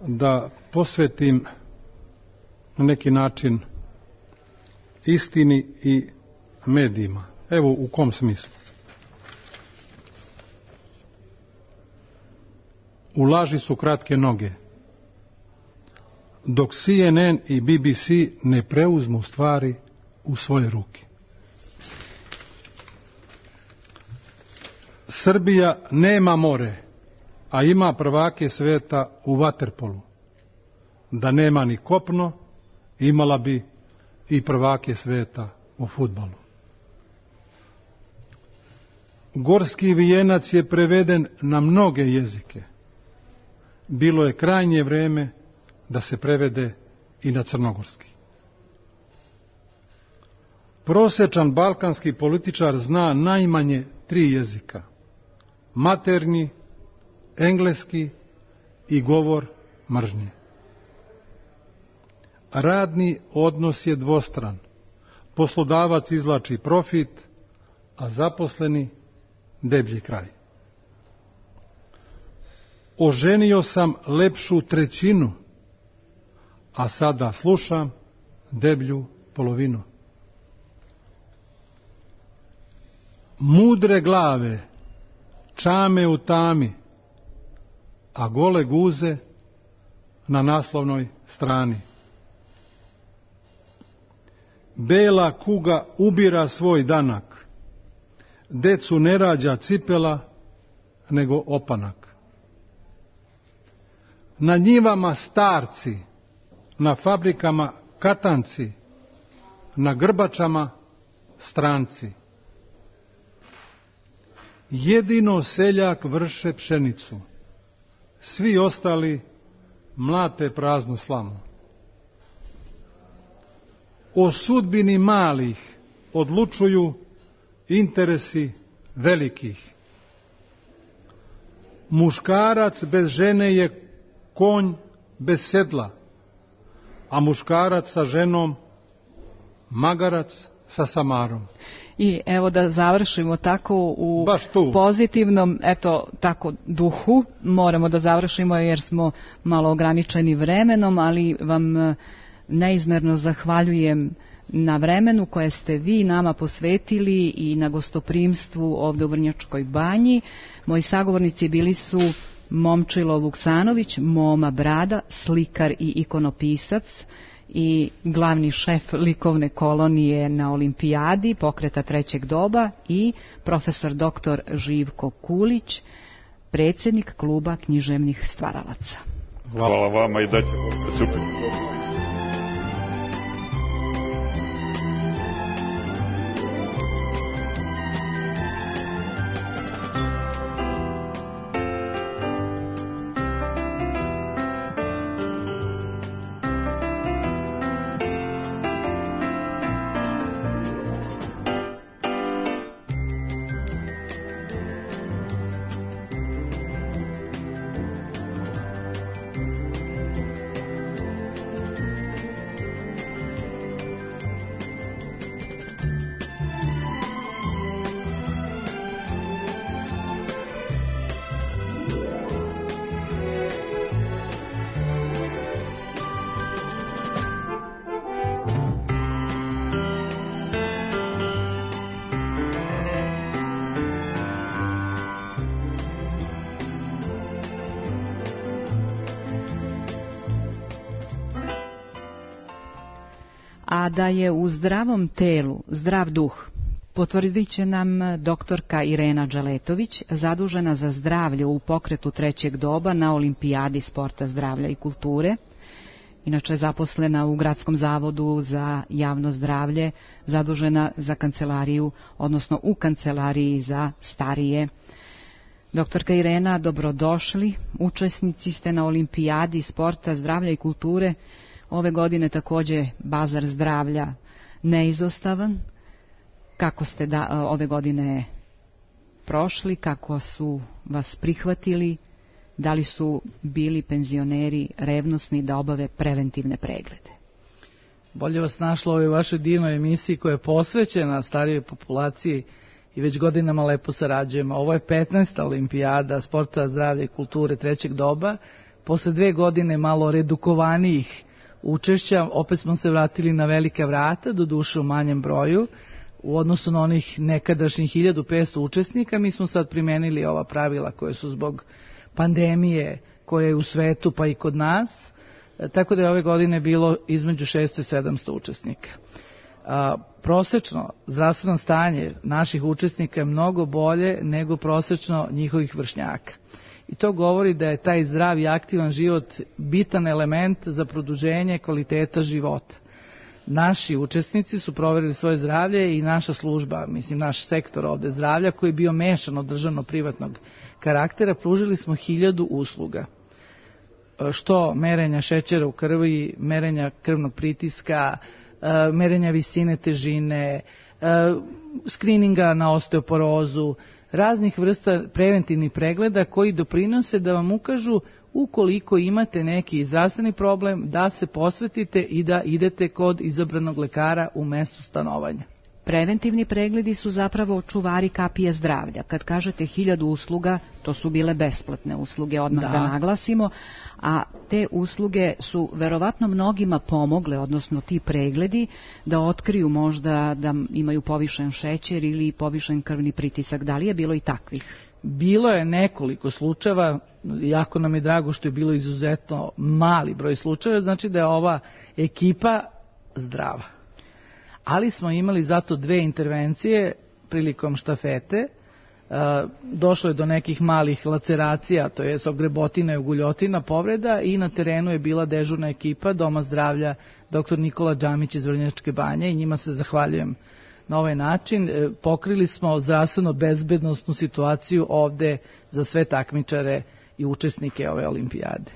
da posvetim na neki način istini i medijima. Evo u kom smislu. U laži su kratke noge, dok C N N i B B C ne preuzmu stvari u svoje ruke. Srbija nema more, a ima prvake sveta u vaterpolu. Da nema ni kopno, imala bi i prvake sveta u fudbalu. Gorski vijenac je preveden na mnoge jezike. Bilo je krajnje vreme da se prevede i na crnogorski. Prosečan balkanski političar zna najmanje tri jezika. Maternji, engleski i govor mržnje. Radni odnos je dvostran. Poslodavac izvlači profit, a zaposleni deblji kraj. Oženio sam lepšu trećinu, a sada slušam deblju polovinu. Mudre glave čame u tami, a gole guze na naslovnoj strani. Bela kuga ubira svoj danak, decu ne rađa cipela, nego opanak. Na njivama starci, na fabrikama katanci, na grbačama stranci. Jedino seljak vrše pšenicu, svi ostali mlate praznu slamu. O sudbini malih odlučuju interesi velikih. Muškarac bez žene je konj bez sedla, a muškarac sa ženom, magarac sa samarom. I evo da završimo tako u pozitivnom, eto, tako duhu. Moramo da završimo jer smo malo ograničeni vremenom, ali vam neizmerno zahvaljujem na vremenu koje ste vi nama posvetili i na gostoprimstvu ovde u Vrnjačkoj banji. Moji sagovornici bili su Momčilo Vuksanović, Moma Brada, slikar i ikonopisac i glavni šef likovne kolonije na Olimpijadi pokreta trećeg doba, i profesor doktor Živko Kulić, predsjednik kluba književnih stvaralaca. Hvala vama i da ćemo super. A da je u zdravom telu zdrav duh, potvrdit će nam doktorka Irena Đaletović, zadužena za zdravlje u pokretu trećeg doba na Olimpijadi sporta, zdravlja i kulture. Inače zaposlena u Gradskom zavodu za javno zdravlje, zadužena za kancelariju, odnosno u kancelariji za starije. Doktorka Irena, dobrodošli. Učesnici ste na Olimpijadi sporta, zdravlja i kulture. Ove godine takođe bazar zdravlja neizostavan. Kako ste da, ove godine prošli, kako su vas prihvatili, da li su bili penzioneri revnosni da obave preventivne preglede? Bolje vas našlo u ovoj vašoj divnoj emisiji koja je posvećena starijoj populaciji i već godinama lepo sarađujemo. Ovo je petnaesta Olimpijada sporta, zdravlja i kulture trećeg doba. Posle dve godine malo redukovanijih učešća, opet smo se vratili na velika vrata, do duše u manjem broju, u odnosu na onih nekadašnjih hiljadu petsto učesnika. Mi smo sad primenili ova pravila koje su zbog pandemije koja je u svetu pa i kod nas, tako da je ove godine bilo između šesto i sedamsto učesnika. A, prosečno zdravstveno stanje naših učesnika je mnogo bolje nego prosečno njihovih vršnjaka. I to govori da je taj zdrav i aktivan život bitan element za produženje kvaliteta života. Naši učesnici su proverili svoje zdravlje i naša služba, mislim naš sektor ovde zdravlja, koji je bio mešan od državno-privatnog karaktera, pružili smo hiljadu usluga. Što merenja šećera u krvi, merenja krvnog pritiska, merenja visine težine, skrininga na osteoporozu, raznih vrsta preventivnih pregleda koji doprinose da vam ukažu ukoliko imate neki zdravstveni problem, da se posvetite i da idete kod izabranog lekara u mestu stanovanja. Preventivni pregledi su zapravo čuvari kapije zdravlja. Kad kažete hiljadu usluga, to su bile besplatne usluge, odmah da, da naglasimo, a te usluge su verovatno mnogima pomogle, odnosno ti pregledi, da otkriju možda da imaju povišen šećer ili povišen krvni pritisak. Da li je bilo i takvih? Bilo je nekoliko slučajeva, jako nam je drago što je bilo izuzetno mali broj slučajeva, znači da je ova ekipa zdrava. Ali smo imali zato dve intervencije prilikom štafete. Došlo je do nekih malih laceracija, to je ogrebotina i uguljotina, povreda, i na terenu je bila dežurna ekipa Doma zdravlja doktor Nikola Džamić iz Vrnjačke banje i njima se zahvaljujem na ovaj način. Pokrili smo zdravstveno bezbednosnu situaciju ovde za sve takmičare i učesnike ove olimpijade.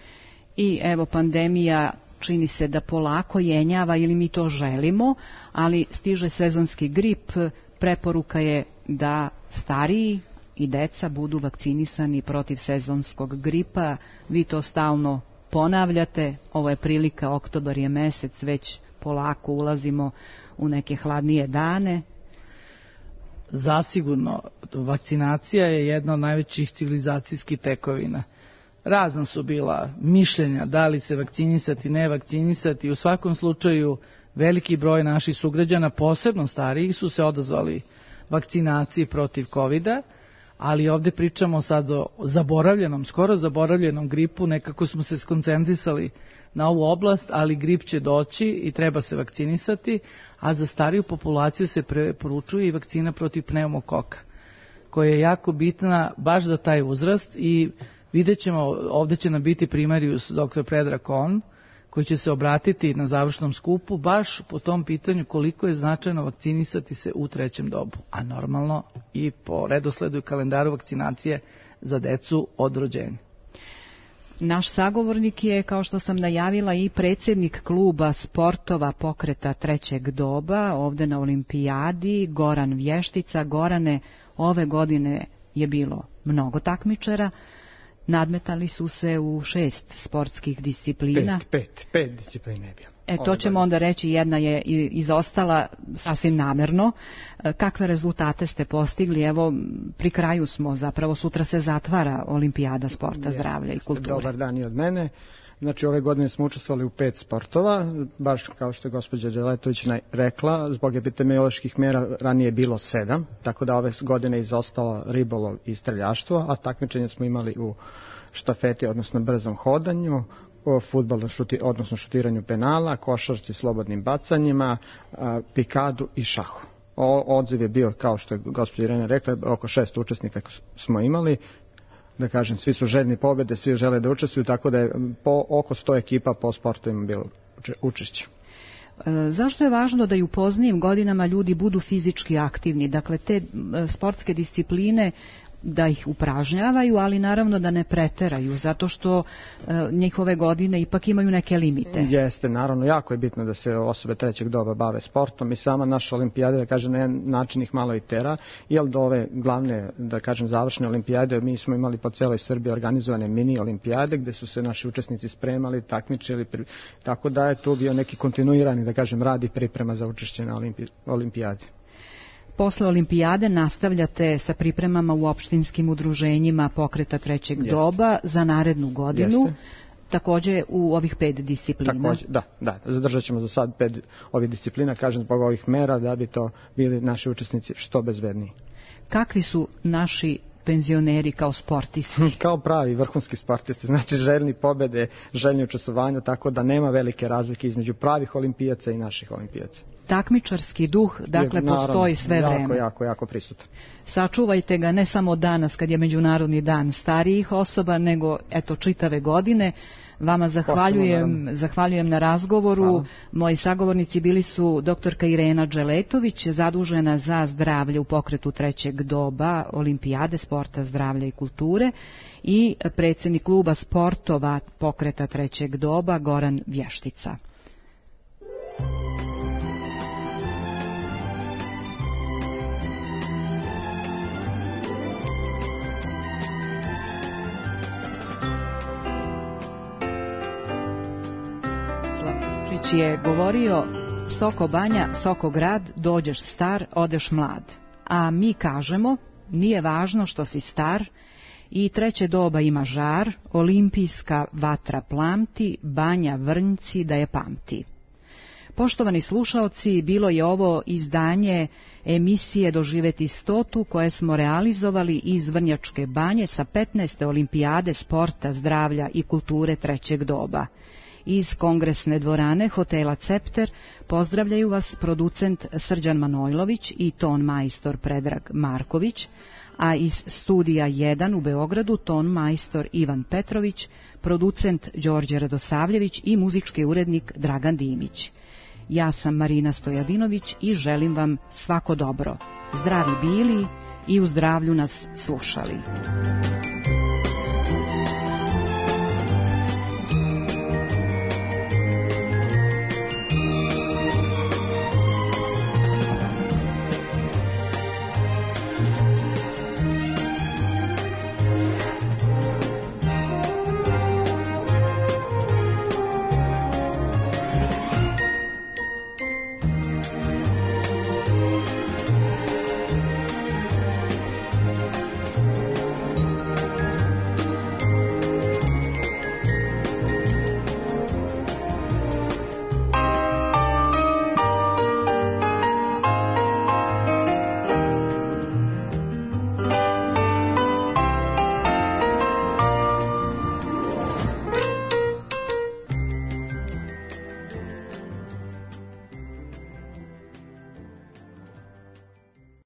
I evo, pandemija čini se da polako jenjava, ili mi to želimo, ali stiže sezonski grip. Preporuka je da stariji i deca budu vakcinisani protiv sezonskog gripa. Vi to stalno ponavljate, ovo je prilika, oktobar je mesec, već polako ulazimo u neke hladnije dane. Zasigurno, vakcinacija je jedna od najvećih civilizacijskih tekovina. Razna su bila mišljenja da li se vakcinisati, ne vakcinisati. U svakom slučaju veliki broj naših sugrađana, posebno starijih, su se odazvali vakcinaciji protiv kovida, ali ovde pričamo sad o zaboravljenom, skoro zaboravljenom gripu, nekako smo se skoncentrisali na ovu oblast, ali grip će doći i treba se vakcinisati, a za stariju populaciju se preporučuje i vakcina protiv pneumokoka, koja je jako bitna baš za taj uzrast i vidjet ćemo, ovde će nam biti primarius doktor Predrag Kon, koji će se obratiti na završnom skupu baš po tom pitanju koliko je značajno vakcinisati se u trećem dobu, a normalno i po redosledu i kalendaru vakcinacije za decu od rođenja. Naš sagovornik je, kao što sam najavila, i predsjednik kluba sportova pokreta trećeg doba ovde na olimpijadi, Goran Vještica. Gorane, ove godine je bilo mnogo takmičara. Nadmetali su se u šest sportskih disciplina. Pet, pet, pet disciplina je bilo. E, to ćemo onda reći, jedna je izostala sasvim namerno. Kakve rezultate ste postigli? Evo, pri kraju smo, zapravo sutra se zatvara olimpijada sporta, zdravlja i kulture. Dobar dan i od mene. Znači, ove godine smo učestvovali u pet sportova, baš kao što je gospođa Đeletović rekla, zbog epidemioloških mera ranije je bilo sedam, tako da ove godine je izostalo ribolov i streljaštvo, a takmičenje smo imali u štafeti, odnosno brzom hodanju, o fudbalu, šuti, odnosno šutiranju penala, košarci, slobodnim bacanjima, a, pikadu i šahu. O, odziv je bio, kao što je gospođa Irena rekla, oko šest učesnika smo imali. Da kažem, svi su željni pobjede, svi žele da učestvuju, tako da je po oko sto ekipa po sportovima bilo učešće. E, zašto je važno da i u poznijim godinama ljudi budu fizički aktivni? Dakle, te sportske discipline da ih upražnjavaju, ali naravno da ne preteraju, zato što e, njihove godine ipak imaju neke limite. Jeste, naravno, jako je bitno da se osobe trećeg doba bave sportom i sama naša olimpijada, da kažem, na jedan način ih malo i tera, jer do ove glavne, da kažem, završne olimpijade, mi smo imali po celoj Srbiji organizovane mini olimpijade, gde su se naši učesnici spremali, takmičili, tako da je tu bio neki kontinuirani, da kažem, rad i priprema za učešće na olimpi, olimpijadi. Posle olimpijade nastavljate sa pripremama u opštinskim udruženjima pokreta trećeg Jeste. doba za narednu godinu, Jeste. takođe u ovih pet disciplina. Takođe, da, da, zadržat ćemo za sad pet ovih disciplina, kažem, zbog ovih mera, da bi to bili naši učesnici što bezbedniji. Kakvi su naši penzioneri kao sportisti? Kao pravi vrhunski sportisti, znači željni pobede, željni učestvovanju, tako da nema velike razlike između pravih olimpijaca i naših olimpijaca. Takmičarski duh, dakle, je, naravno, postoji sve jako, vreme. Jako, jako, jako prisutan. Sačuvajte ga ne samo danas kad je Međunarodni dan starijih osoba, nego eto čitave godine. Vama zahvaljujem, zahvaljujem na razgovoru. Hvala. Moji sagovornici bili su doktorka Irena Đeletović, zadužena za zdravlje u pokretu trećeg doba olimpijade sporta, zdravlja i kulture, i predsjednik kluba sportova pokreta trećeg doba Goran Vještica. Je govorio: Soko Banja, Soko grad, dođeš star, odeš mlad. A mi kažemo, nije važno što si star, i treće doba ima žar, olimpijska vatra plamti, Banja Vrnjci da je pamti. Poštovani slušaoci, bilo je ovo izdanje emisije Doživeti stotu koje smo realizovali iz Vrnjačke Banje sa petnaeste olimpijade sporta, zdravlja i kulture trećeg doba. Iz kongresne dvorane hotela Cepter pozdravljaju vas producent Srđan Manojlović i ton majstor Predrag Marković, a iz studija jedan u Beogradu ton majstor Ivan Petrović, producent Đorđe Radosavljević i muzički urednik Dragan Dimić. Ja sam Marina Stojadinović i želim vam svako dobro. Zdravi bili i u zdravlju nas slušali.